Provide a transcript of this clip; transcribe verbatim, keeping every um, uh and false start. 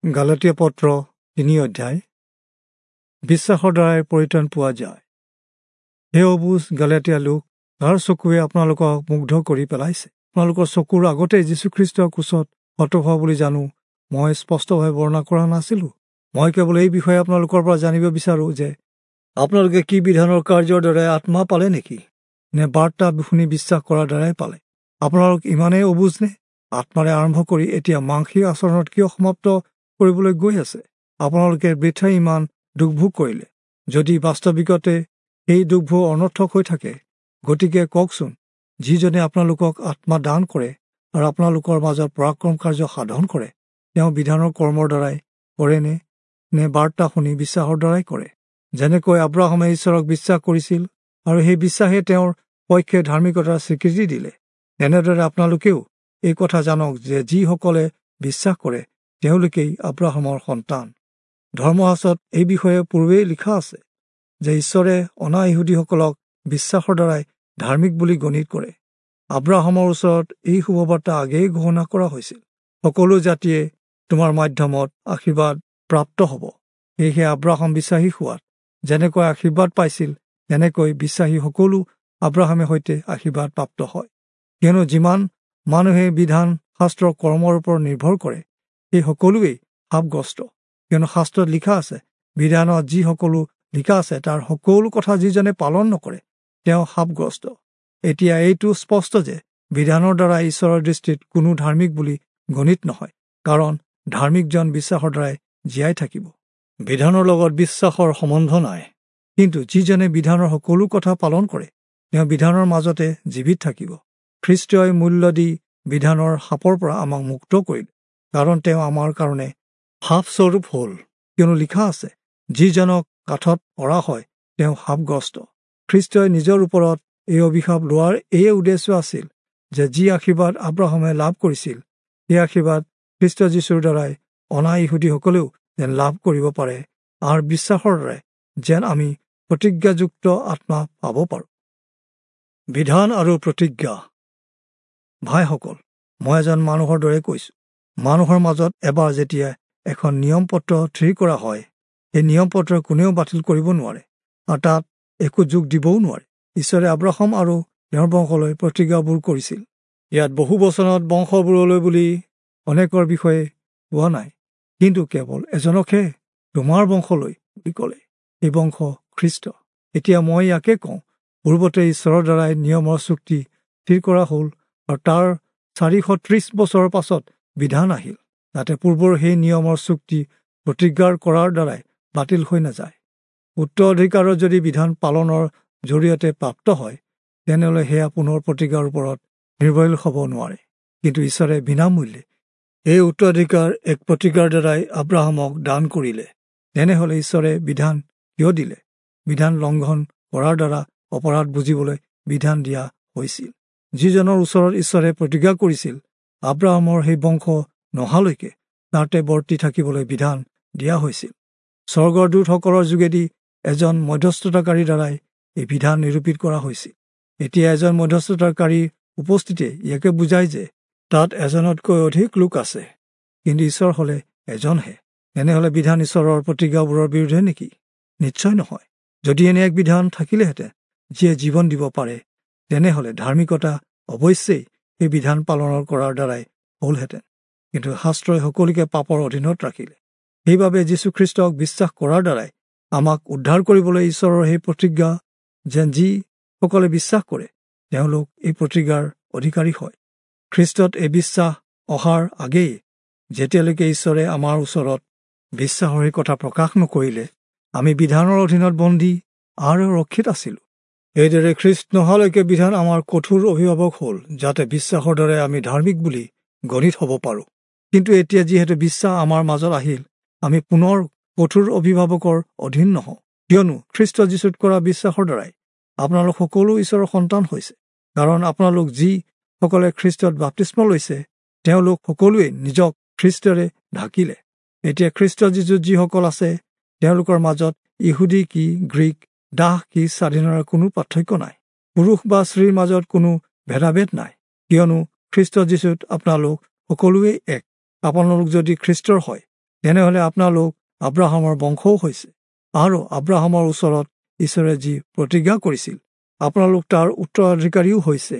গালাতীয়া পত্ৰ তিনি অধ্যায়। বিশ্বাসৰ দ্বাৰাই পৰিত্ৰাণ পোৱা যায়। হে অবুজ গালাতীয়া লোক, কাৰ চকুৱে আপোনালোকক মুগ্ধ কৰি পেলাইছে? আপোনালোকৰ চকুৰ আগতে যীশুখ্ৰীষ্টৰ ক্ৰুচত হত হোৱা বুলি জানো মই স্পষ্টভাৱে বৰ্ণনা কৰা নাছিলোঁ? মই কেৱল এই বিষয়ে আপোনালোকৰ পৰা জানিব বিচাৰোঁ যে আপোনালোকে কি বিধানৰ কাৰ্যৰ দ্বাৰাই আত্মা পালে নেকি, নে বাৰ্তা শুনি বিশ্বাস কৰাৰ দ্বাৰাই পালে? আপোনালোক ইমানেই অবুজ নে? আত্মাৰে আৰম্ভ কৰি এতিয়া মাংসিক আচৰণত কিয় সমাপ্ত কৰিবলৈ গৈ আছে? আপোনালোকে বৃথাই ইমান দুখভোগ কৰিলে, যদি বাস্তৱিকতে সেই দুখভোগ অনৰ্থক হৈ থাকে। গতিকে কওকচোন, যিজনে আপোনালোকক আত্মা দান কৰে আৰু আপোনালোকৰ মাজত পৰাক্ৰম কাৰ্য সাধন কৰে, তেওঁ বিধানৰ কৰ্মৰ দ্বাৰাই কৰেনে, নে বাৰ্তা শুনি বিশ্বাসৰ দ্বাৰাই কৰে? যেনেকৈ আব্ৰাহামে ঈশ্বৰক বিশ্বাস কৰিছিল আৰু সেই বিশ্বাসে তেওঁৰ পক্ষে ধাৰ্মিকতাৰ স্বীকৃতি দিলে, তেনেদৰে আপোনালোকেও এই কথা জানক যে যিসকলে বিশ্বাস কৰে তেওঁলোকেই আব্ৰাহামৰ সন্তান। ধৰ্মশাস্ত্ৰত এই বিষয়ে পূৰ্বেই লিখা আছে যে ঈশ্বৰে অনা ইহুদীসকলক বিশ্বাসৰ দ্বাৰাই ধাৰ্মিক বুলি গণিত কৰে। আব্ৰাহামৰ ওচৰত এই শুভবাৰ্তা আগেয়ে ঘোষণা কৰা হৈছিল, সকলো জাতিয়ে তোমাৰ মাধ্যমত আশীৰ্বাদ প্ৰাপ্ত হ'ব। সেয়েহে আব্ৰাহাম বিশ্বাসী হোৱাত যেনেকৈ আশীৰ্বাদ পাইছিল, তেনেকৈ বিশ্বাসী সকলো আব্ৰাহামে সৈতে আশীৰ্বাদ প্ৰাপ্ত হয়। কিয়নো যিমান মানুহে বিধান শাস্ত্ৰৰ কৰ্মৰ ওপৰত নিৰ্ভৰ কৰে, সেই সকলোৱেই শাপগ্ৰস্ত। কিয়নো শাস্ত্ৰত লিখা আছে, বিধানত যি সকলো লিখা আছে তাৰ সকলো কথা যিজনে পালন নকৰে তেওঁ শাপগ্ৰস্ত। এতিয়া এইটো স্পষ্ট যে বিধানৰ দ্বাৰা ঈশ্বৰৰ দৃষ্টিত কোনো ধাৰ্মিক বুলি গণিত নহয়, কাৰণ ধাৰ্মিকজন বিশ্বাসৰ দ্বাৰাই জীয়াই থাকিব। বিধানৰ লগত বিশ্বাসৰ সম্বন্ধ নাই, কিন্তু যিজনে বিধানৰ সকলো কথা পালন কৰে তেওঁ বিধানৰ মাজতে জীৱিত থাকিব। খ্ৰীষ্টই মূল্য দি বিধানৰ শাপৰ পৰা আমাক মুক্ত কৰিলে, কাৰণ তেওঁ আমাৰ কাৰণে শাপস্বৰূপ হ'ল। কিয়নো লিখা আছে, যিজনক কাঠত অঁৰা হয় তেওঁ শাপগ্ৰস্ত। খ্ৰীষ্টই নিজৰ ওপৰত এই অভিশাপ লোৱাৰ এই উদ্দেশ্য আছিল যে যি আশীৰ্বাদ আব্ৰাহামে লাভ কৰিছিল, সেই আশীৰ্বাদ খ্ৰীষ্ট যীশুৰ দ্বাৰাই অনা ইহুদীসকলেও যেন লাভ কৰিব পাৰে, আৰু বিশ্বাসৰ দ্বাৰাই যেন আমি প্ৰতিজ্ঞাযুক্ত আত্মা পাব পাৰোঁ। বিধান আৰু প্ৰতিজ্ঞা। ভাইসকল, মই এজন মানুহৰ দৰে কৈছোঁ, মানুহৰ মাজত এবাৰ যেতিয়া এখন নিয়ম পত্ৰ থিৰ কৰা হয়, সেই নিয়ম পত্ৰ কোনেও বাতিল কৰিব নোৱাৰে আৰু তাত একো যোগ দিবও নোৱাৰে। ঈশ্বৰে আব্ৰাহাম আৰু তেওঁৰ বংশলৈ প্ৰতিজ্ঞাবোৰ কৰিছিল। ইয়াত বহু বচনত বংশবোৰলৈ বুলি অনেকৰ বিষয়ে কোৱা নাই, কিন্তু কেৱল এজনকহে তোমাৰ বংশলৈ বুলি ক'লে, এই বংশ খ্ৰীষ্ট। এতিয়া মই ইয়াকে কওঁ, পূৰ্বতে ঈশ্বৰৰ দ্বাৰাই নিয়মৰ চুক্তি থিৰ কৰা হ'ল আৰু তাৰ চাৰিশ ত্ৰিছ বছৰৰ পাছত বিধান আহিল, যাতে পূৰ্বৰ সেই নিয়মৰ চুক্তি প্ৰতিজ্ঞাৰ কৰাৰ দ্বাৰাই বাতিল হৈ নাযায়। উত্তৰাধিকাৰৰ যদি বিধান পালনৰ জৰিয়তে প্ৰাপ্ত হয়, তেনেহ'লে সেয়া পুনৰ প্ৰতিজ্ঞাৰ ওপৰত নিৰ্ভৰশীল হ'ব নোৱাৰে। কিন্তু ঈশ্বৰে বিনামূল্যে এই উত্তৰাধিকাৰ এক প্ৰতিজ্ঞাৰ দ্বাৰাই আব্ৰাহামক দান কৰিলে। তেনেহ'লে ঈশ্বৰে বিধান কিয় দিলে? বিধান লংঘন কৰাৰ দ্বাৰা অপৰাধ বুজিবলৈ বিধান দিয়া হৈছিল। যিজনৰ ওচৰত ঈশ্বৰে প্ৰতিজ্ঞা কৰিছিল, আব্ৰাহামৰ সেই বংশ নহালৈকে তাতে বৰ্তি থাকিবলৈ বিধান দিয়া হৈছিল। স্বৰ্গৰ দূতসকলৰ যোগেদি এজন মধ্যস্থতাকাৰীৰ দ্বাৰাই এই বিধান নিৰূপিত কৰা হৈছিল। এতিয়া এজন মধ্যস্থতাকাৰীৰ উপস্থিতিয়ে ইয়াকে বুজায় যে তাত এজনতকৈ অধিক লোক আছে, কিন্তু ঈশ্বৰ হ'লে এজনহে। তেনেহ'লে বিধান ঈশ্বৰৰ প্ৰতিজ্ঞাবোৰৰ বিৰুদ্ধে নেকি? নিশ্চয় নহয়। যদি এনে এক বিধান থাকিলেহেঁতেন যিয়ে জীৱন দিব পাৰে, তেনেহ'লে ধাৰ্মিকতা অৱশ্যেই সেই বিধান পালনৰ কৰাৰ দ্বাৰাই হ'লহেঁতেন। কিন্তু শাস্ত্ৰই সকলোকে পাপৰ অধীনত ৰাখিলে। সেইবাবে যীশুখ্ৰীষ্টক বিশ্বাস কৰাৰ দ্বাৰাই আমাক উদ্ধাৰ কৰিবলৈ ঈশ্বৰৰ সেই প্ৰতিজ্ঞা যেন যিসকলে বিশ্বাস কৰে তেওঁলোক এই প্ৰতিজ্ঞাৰ অধিকাৰী হয়। খ্ৰীষ্টত এই বিশ্বাস অহাৰ আগেয়ে যেতিয়ালৈকে ঈশ্বৰে আমাৰ ওচৰত বিশ্বাসৰ সেই কথা প্ৰকাশ নকৰিলে, আমি বিধানৰ অধীনত বন্দী আৰু ৰক্ষিত আছিলোঁ। এইদৰে খ্ৰীষ্ট নহালৈকে বিধান আমাৰ কঠোৰ অভিভাৱক হ'ল, যাতে বিশ্বাসৰ দ্বাৰাই আমি ধাৰ্মিক বুলি গণিত হ'ব পাৰোঁ। কিন্তু এতিয়া যিহেতু বিশ্বাস আমাৰ মাজত আহিল, আমি পুনৰ কঠোৰ অভিভাৱকৰ অধীন নহওঁ। কিয়নো খ্ৰীষ্ট যীশুত কৰা বিশ্বাসৰ দ্বাৰাই আপোনালোক সকলো ঈশ্বৰৰ সন্তান হৈছে। কাৰণ আপোনালোক যিসকলে খ্ৰীষ্টত বাপ্তিস্ম লৈছে, তেওঁলোক সকলোৱে নিজক খ্ৰীষ্টৰে ঢাকিলে। এতিয়া খ্ৰীষ্ট যীশুত যিসকল আছে, তেওঁলোকৰ মাজত ইহুদী কি গ্ৰীক, দাস কি স্বাধীনৰ কোনো পাৰ্থক্য নাই, পুৰুষ বা স্ত্ৰীৰ মাজত কোনো ভেদাভেদ নাই। কিয়নো খ্ৰীষ্ট যীশুত আপোনালোক সকলোৱেই এক। আপোনালোক যদি খ্ৰীষ্টৰ হয়, তেনেহলে আপোনালোক আব্ৰাহামৰ বংশও হৈছে, আৰু আব্ৰাহামৰ ওচৰত ঈশ্বৰে যি প্ৰতিজ্ঞা কৰিছিল, আপোনালোক তাৰ উত্তৰাধিকাৰীও হৈছে।